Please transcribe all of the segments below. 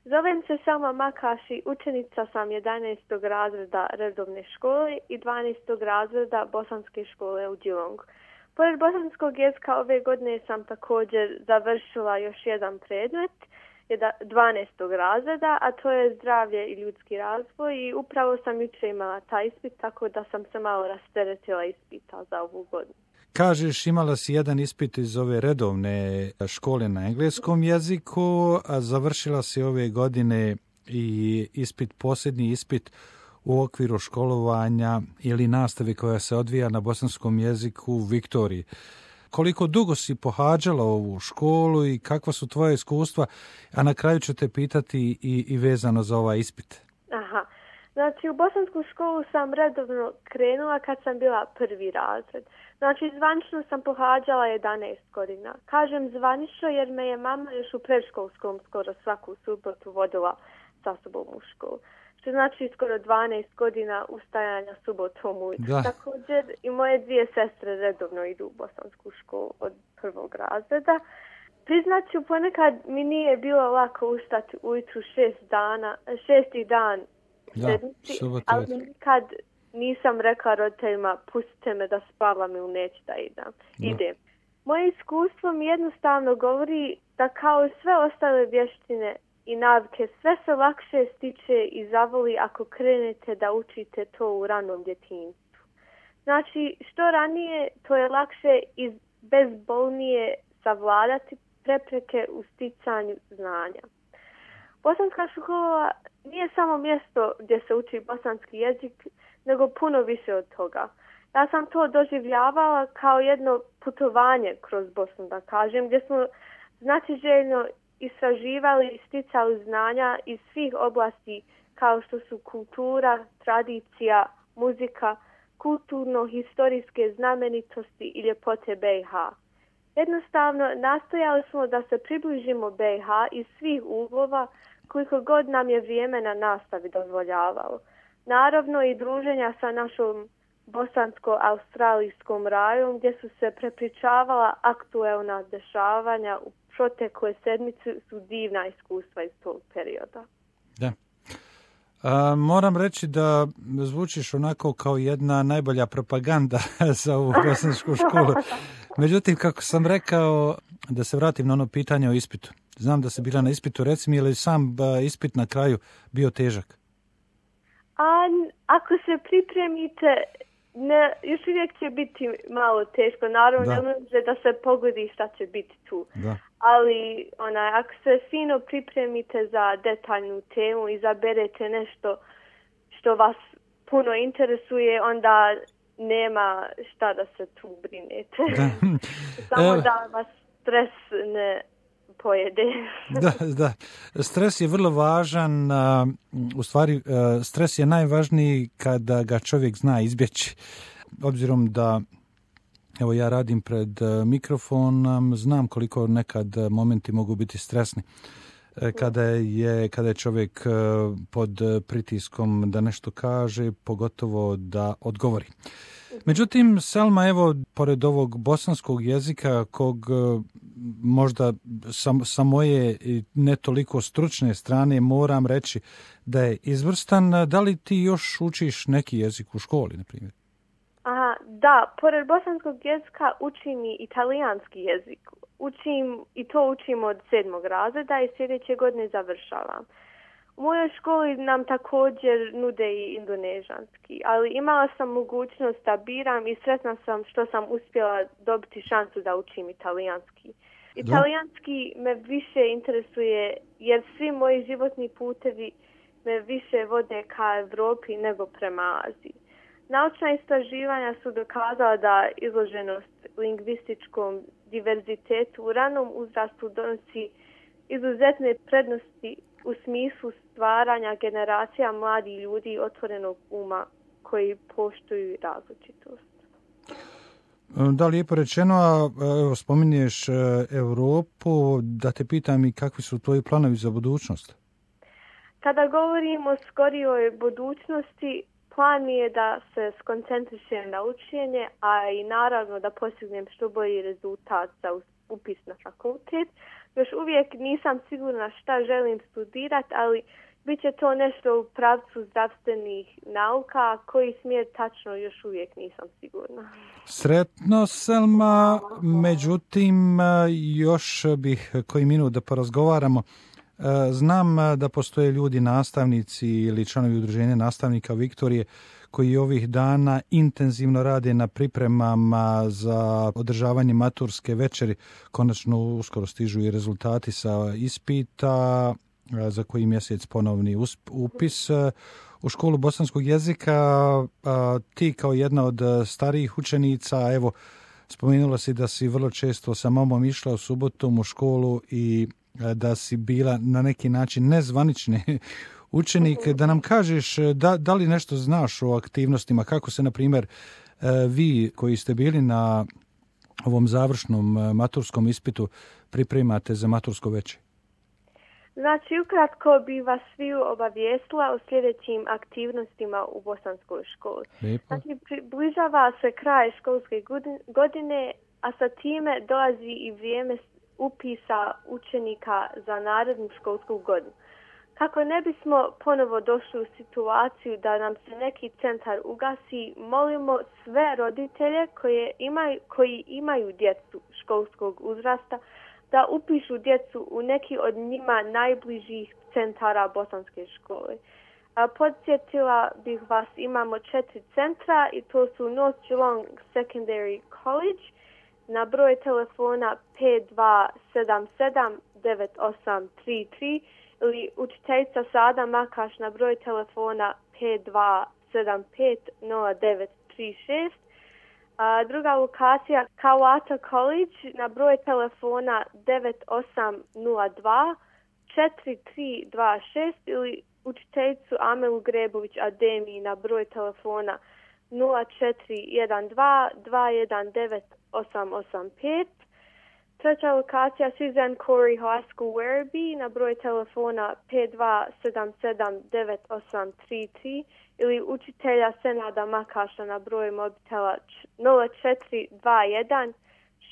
Zovem se Selma Makaši, učenica sam 11. razreda redovne škole i 12. razreda bosanske škole u Geelongu. Pored bosanskog jezika ove godine sam također završila još jedan predmet 12. razreda, a to je zdravlje i ljudski razvoj i upravo sam jučer imala taj ispit, tako da sam se malo rasteretila ispita za ovu godinu. Kažeš, imala si jedan ispit iz ove redovne škole na engleskom jeziku, a završila si ove godine i posljednji ispit u okviru školovanja ili nastave koja se odvija na bosanskom jeziku u Viktoriji. Koliko dugo si pohađala ovu školu i kakva su tvoje iskustva, a na kraju ću te pitati i vezano za ovaj ispit. Aha, znači u bosansku školu sam redovno krenula kad sam bila prvi razred. Znači zvanično sam pohađala 11 godina. Kažem zvanično jer me je mama još u predškolskom skoro svaku subotu vodila sa sobom u školu. Što znači skoro 12 godina ustajanja subotom ujutro. Također i moje dvije sestre redovno idu u bosansku školu od prvog razreda. Priznaću, ponekad mi nije bilo lako ustati ujutru 6. dan sedmici, ali nikad nisam rekla roditeljima pustite me da spavam ili neću da idem. Moje iskustvo mi jednostavno govori da kao i sve ostale vještine i navike, sve se lakše stiče i zavoli ako krenete da učite to u ranom djetinjstvu. Znači, što ranije, to je lakše i bezbolnije savladati prepreke u sticanju znanja. Bosanska škola nije samo mjesto gdje se uči bosanski jezik, nego puno više od toga. Ja sam to doživljavala kao jedno putovanje kroz Bosnu, da kažem, gdje smo znatiželjno istraživali i sticali znanja iz svih oblasti kao što su kultura, tradicija, muzika, kulturno-historijske znamenitosti i ljepote BiH. Jednostavno, nastojali smo da se približimo BiH iz svih uglova koliko god nam je vrijeme na nastavi dozvoljavalo. Naravno i druženja sa našom bosansko-australijskom rajom gdje su se prepričavala aktuelna dešavanja u protekle sedmice su divna iskustva iz tog perioda. Da. Moram reći da zvučiš onako kao jedna najbolja propaganda za ovu bosansku školu. Međutim, kako sam rekao, da se vratim na ono pitanje o ispitu. Znam da si bila na ispitu, reci mi, je li sam ispit na kraju bio težak? Ako se pripremite, još uvijek će biti malo teško. Naravno, ne može da se pogodi šta će biti tu. Da. Ali ako se fino pripremite za detaljnu temu, izaberete nešto što vas puno interesuje, onda nema šta da se tu brinete. Samo da vas stres ne pojede. Da. Stres je vrlo važan. U stvari, stres je najvažniji kada ga čovjek zna izbjeći. Obzirom da evo ja radim pred mikrofonom, znam koliko nekad momenti mogu biti stresni. Kada je čovjek pod pritiskom da nešto kaže, pogotovo da odgovori. Međutim, Selma, evo, pored ovog bosanskog jezika, kog možda sa moje ne toliko stručne strane moram reći da je izvrstan, da li ti još učiš neki jezik u školi, na primjer? Da, pored bosanskog jezika učim i italijanski jezik. Učim od 7. razreda i sljedeće godine završavam. U mojoj školi nam također nude i indonežanski, ali imala sam mogućnost da biram i sretna sam što sam uspjela dobiti šansu da učim italijanski. Italijanski me više interesuje jer svi moji životni putevi me više vode ka Europi nego prema Aziji. Naučna istraživanja su dokazala da izloženost lingvističkom diverzitetu u ranom uzrastu donosi izuzetne prednosti u smislu stvaranja generacija mladih ljudi otvorenog uma koji poštuju različitost. Da, lijepo rečeno, a evo, spominješ Europu, da te pitam i kakvi su tvoji planovi za budućnost? Kada govorimo o skorijoj budućnosti, plan mi je da se skoncentrišem na učenje, a i naravno da postignem što bolji rezultat za upis na fakultet. Još uvijek nisam sigurna šta želim studirati, ali bit će to nešto u pravcu zdravstvenih nauka, koji smjer tačno još uvijek nisam sigurna. Sretno, Selma, međutim, još bih koji minut da porazgovaramo. Znam da postoje ljudi, nastavnici ili članovi udruženja nastavnika Viktorije koji ovih dana intenzivno rade na pripremama za održavanje maturske večeri. Konačno uskoro stižu i rezultati sa ispita, za koji mjesec ponovni upis u školu bosanskog jezika. Ti kao jedna od starijih učenica, evo, spomenula si da si vrlo često sa mamom išla u subotom u školu i da si bila na neki način nezvanični učenik. Da nam kažeš da li nešto znaš o aktivnostima, kako se, na primjer, vi koji ste bili na ovom završnom maturskom ispitu pripremate za matursko veče? Znači, ukratko bi vas sviju obavijestila o sljedećim aktivnostima u bosanskoj školi. Lijepo. Znači, približava se kraj školske godine, a sa time dolazi i vrijeme upisa učenika za narednu školsku godinu. Kako ne bismo ponovo došli u situaciju da nam se neki centar ugasi, molimo sve roditelje koji imaju djecu školskog uzrasta da upišu djecu u neki od njima najbližih centara bosanske škole. Podsjetila bih vas, imamo 4 centra i to su North Geelong Secondary College na broj telefona 52779833 ili učiteljica Sada Makaš na broj telefona 52750936. Druga lokacija Kawata College na broj telefona 9802 4326 ili učiteljicu Amelu Grebović Ademi na broj telefona 0412 219 885. Treća lokacija Suzanne Corey High School Werribee na broj telefona 52779833 ili učitelja Senada Makaša na broj mobitela 0421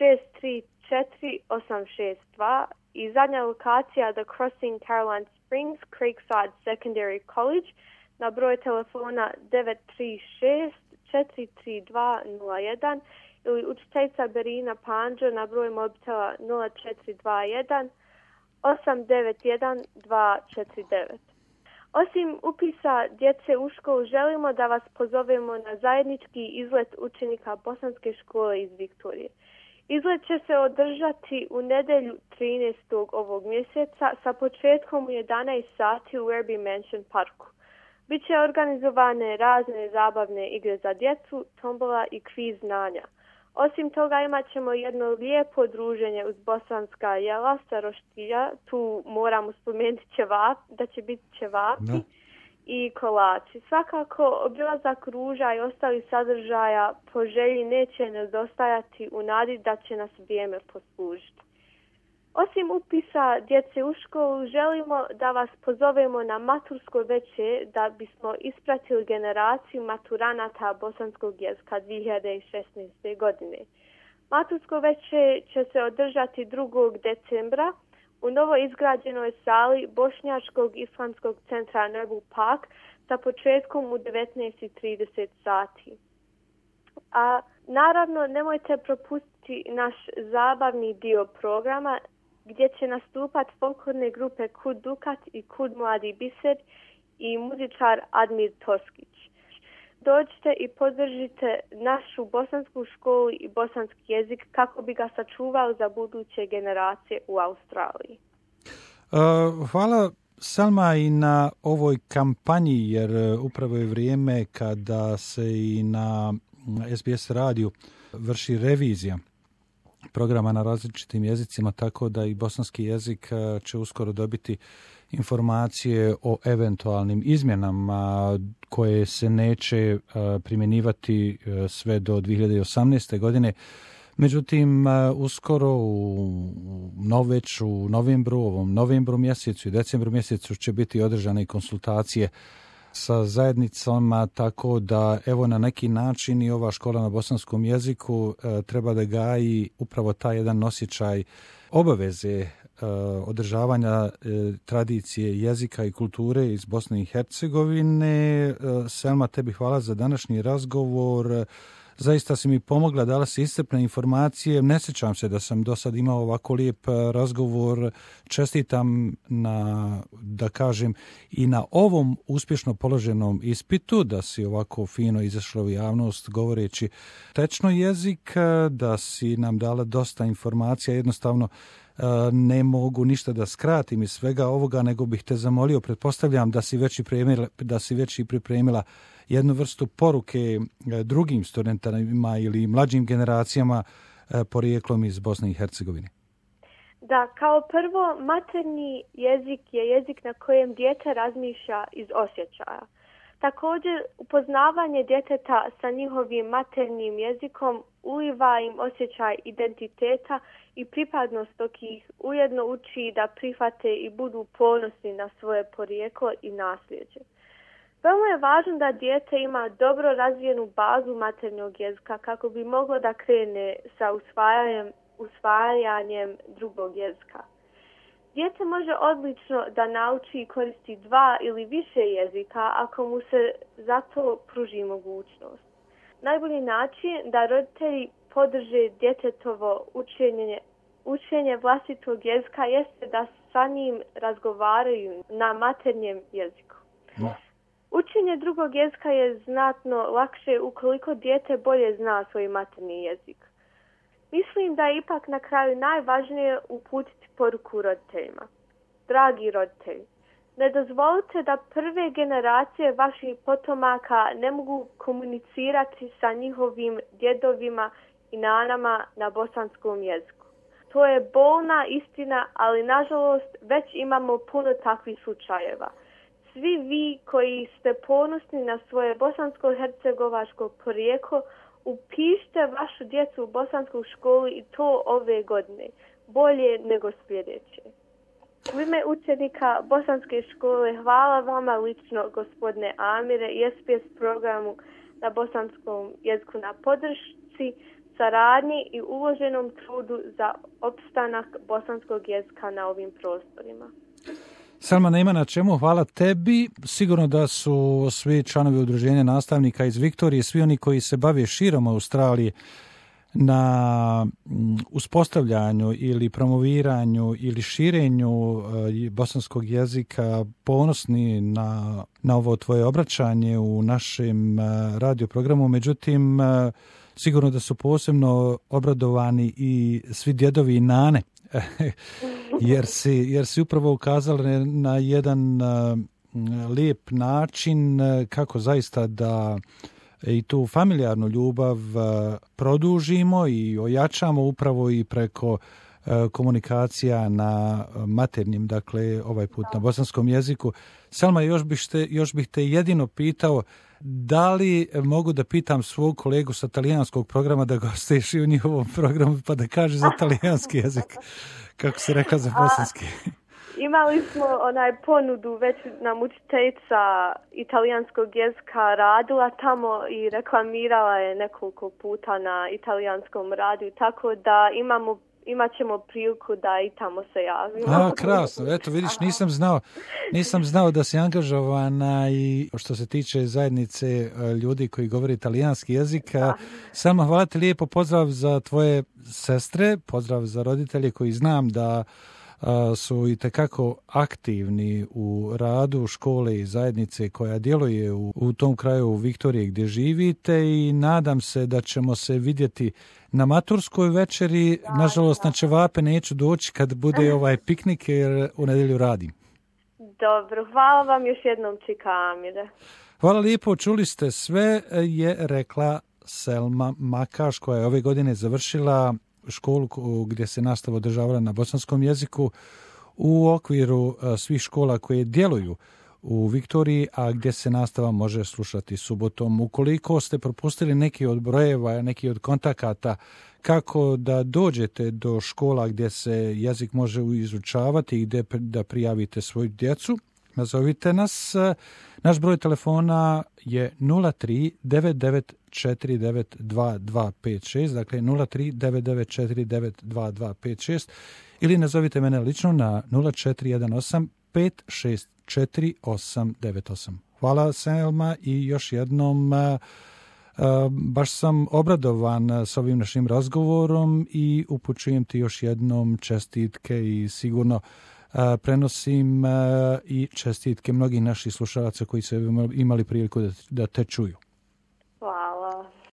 634 862 i zadnja lokacija The Crossing Caroline Springs Creekside Secondary College na broj telefona 936 43201 ili učiteljica Berina Panđo na broj mobitela 0421 891 249. Osim upisa djece u školu, želimo da vas pozovemo na zajednički izlet učenika bosanske škole iz Viktorije. Izlet će se održati u nedjelju 13. ovog mjeseca sa početkom u 11 sati u Werribee Mansion parku. Biće organizovane razne zabavne igre za djecu, tombola i kviz znanja. Osim toga imat ćemo jedno lijepo druženje uz bosanska jela sa roštilja. Tu moramo spomenuti da će biti ćevapi i kolači. Svakako obilazak ruža i ostali sadržaja po želji neće nedostajati u nadi da će nas vrijeme poslužiti. Osim upisa djece u školu, želimo da vas pozovemo na matursko veče da bismo ispratili generaciju maturanata bosanskog jezika 2016. godine. Matursko veče će se održati 2. decembra u novo izgrađenoj sali Bošnjačkog islamskog centra Nerbu Park sa početkom u 19:30 sati. A naravno nemojte propustiti naš zabavni dio programa gdje će nastupati folklorne grupe Kud Dukat i Kud Mladi Biser i muzičar Admir Toskić. Dođite i podržite našu bosansku školu i bosanski jezik kako bi ga sačuvali za buduće generacije u Australiji. Hvala, Selma, i na ovoj kampanji, jer upravo je vrijeme kada se i na SBS radiju vrši revizija programa na različitim jezicima, tako da i bosanski jezik će uskoro dobiti informacije o eventualnim izmjenama koje se neće primjenjivati sve do 2018. godine. Međutim, uskoro već u novembru mjesecu i decembru mjesecu će biti održane konsultacije sa zajednicama, tako da evo na neki način i ova škola na bosanskom jeziku treba da gaji upravo taj jedan osjećaj obaveze održavanja tradicije jezika i kulture iz Bosne i Hercegovine. Selma, tebi hvala za današnji razgovor. Zaista si mi pomogla, dala si iscrpne informacije. Ne sjećam se da sam do sad imao ovako lijep razgovor. Čestitam da kažem, i na ovom uspješno položenom ispitu, da si ovako fino izašla u javnost govoreći tečno jezik, da si nam dala dosta informacija. Jednostavno ne mogu ništa da skratim iz svega ovoga, nego bih te zamolio, pretpostavljam da si već i pripremila jednu vrstu poruke drugim studentima ili mlađim generacijama porijeklom iz Bosne i Hercegovine. Da, kao prvo, maternji jezik je jezik na kojem dijete razmišlja iz osjećaja. Također, upoznavanje djeteta sa njihovim maternjim jezikom uliva im osjećaj identiteta i pripadnost, dok ih ujedno uči da prihvate i budu ponosni na svoje porijeklo i nasljeđe. Veoma je važno da dijete ima dobro razvijenu bazu maternjog jezika kako bi moglo da krene sa usvajanjem drugog jezika. Dijete može odlično da nauči i koristi 2 ili više jezika ako mu se za to pruži mogućnost. Najbolji način da roditelji podrže djetetovo učenje vlastitog jezika jeste da sa njim razgovaraju na maternjem jeziku. No. Učenje drugog jezika je znatno lakše ukoliko dijete bolje zna svoj maternji jezik. Mislim da je ipak na kraju najvažnije uputiti poruku roditeljima. Dragi roditelji, ne dozvolite da prve generacije vaših potomaka ne mogu komunicirati sa njihovim djedovima i nanama na bosanskom jeziku. To je bolna istina, ali nažalost već imamo puno takvih slučajeva. Svi vi koji ste ponosni na svoje bosansko-hercegovačko porijeklo, upišite vašu djecu u bosansku školu i to ove godine, bolje nego sljedeće. U ime učenika bosanske škole hvala vama lično, gospodine Amire, i SPS programu na bosanskom jeziku na podršci, saradnji i uloženom trudu za opstanak bosanskog jezika na ovim prostorima. Selma, nema na čemu, hvala tebi. Sigurno da su svi članovi udruženja nastavnika iz Viktorije, svi oni koji se bave širom Australije na uspostavljanju ili promoviranju ili širenju bosanskog jezika, ponosni na ovo tvoje obraćanje u našem radio programu. Međutim, sigurno da su posebno obradovani i svi djedovi i nane, jer si upravo ukazali na jedan lijep način kako zaista da i tu familijarnu ljubav produžimo i ojačamo upravo i preko komunikacija na maternjem, dakle ovaj put na bosanskom jeziku. Selma, još bih te jedino pitao, da li mogu da pitam svog kolegu sa talijanskog programa da gostuješ i u njihovom programu pa da kaže za talijanski jezik, kako si rekla za bosanski? Imali smo ponudu, već nam učiteljica italijanskog jezika radila tamo i reklamirala je nekoliko puta na italijanskom radiju, tako da imat ćemo priliku da i tamo se javimo. Krasno, eto vidiš, nisam znao da si angažovana i što se tiče zajednice ljudi koji govore italijanski jezik. Selma, hvala ti lijepo, pozdrav za tvoje sestre, pozdrav za roditelje koji znam da su itekako aktivni u radu škole i zajednice koja djeluje u tom kraju u Viktoriji gdje živite i nadam se da ćemo se vidjeti na maturskoj večeri. Nažalost, na ćevape neću doći kad bude ovaj piknik jer u nedjelju radim. Dobro, hvala vam još jednom, čika Amire. Hvala lijepo, čuli ste sve, je rekla Selma Makaš koja je ove godine završila školu gdje se nastava održavala na bosanskom jeziku u okviru svih škola koje djeluju u Viktoriji, a gdje se nastava može slušati subotom. Ukoliko ste propustili neki od brojeva, neki od kontakata kako da dođete do škola gdje se jezik može izučavati i gdje da prijavite svoju djecu, nazovite nas. Naš broj telefona je 03 9949 2256, dakle 03 9949 2256. ili nazovite mene lično na 0418 564 898. Hvala Selma i još jednom baš sam obradovan s ovim našim razgovorom i upućujem ti još jednom čestitke i sigurno prenosim i čestitke mnogih naših slušalaca koji su imali priliku da te čuju.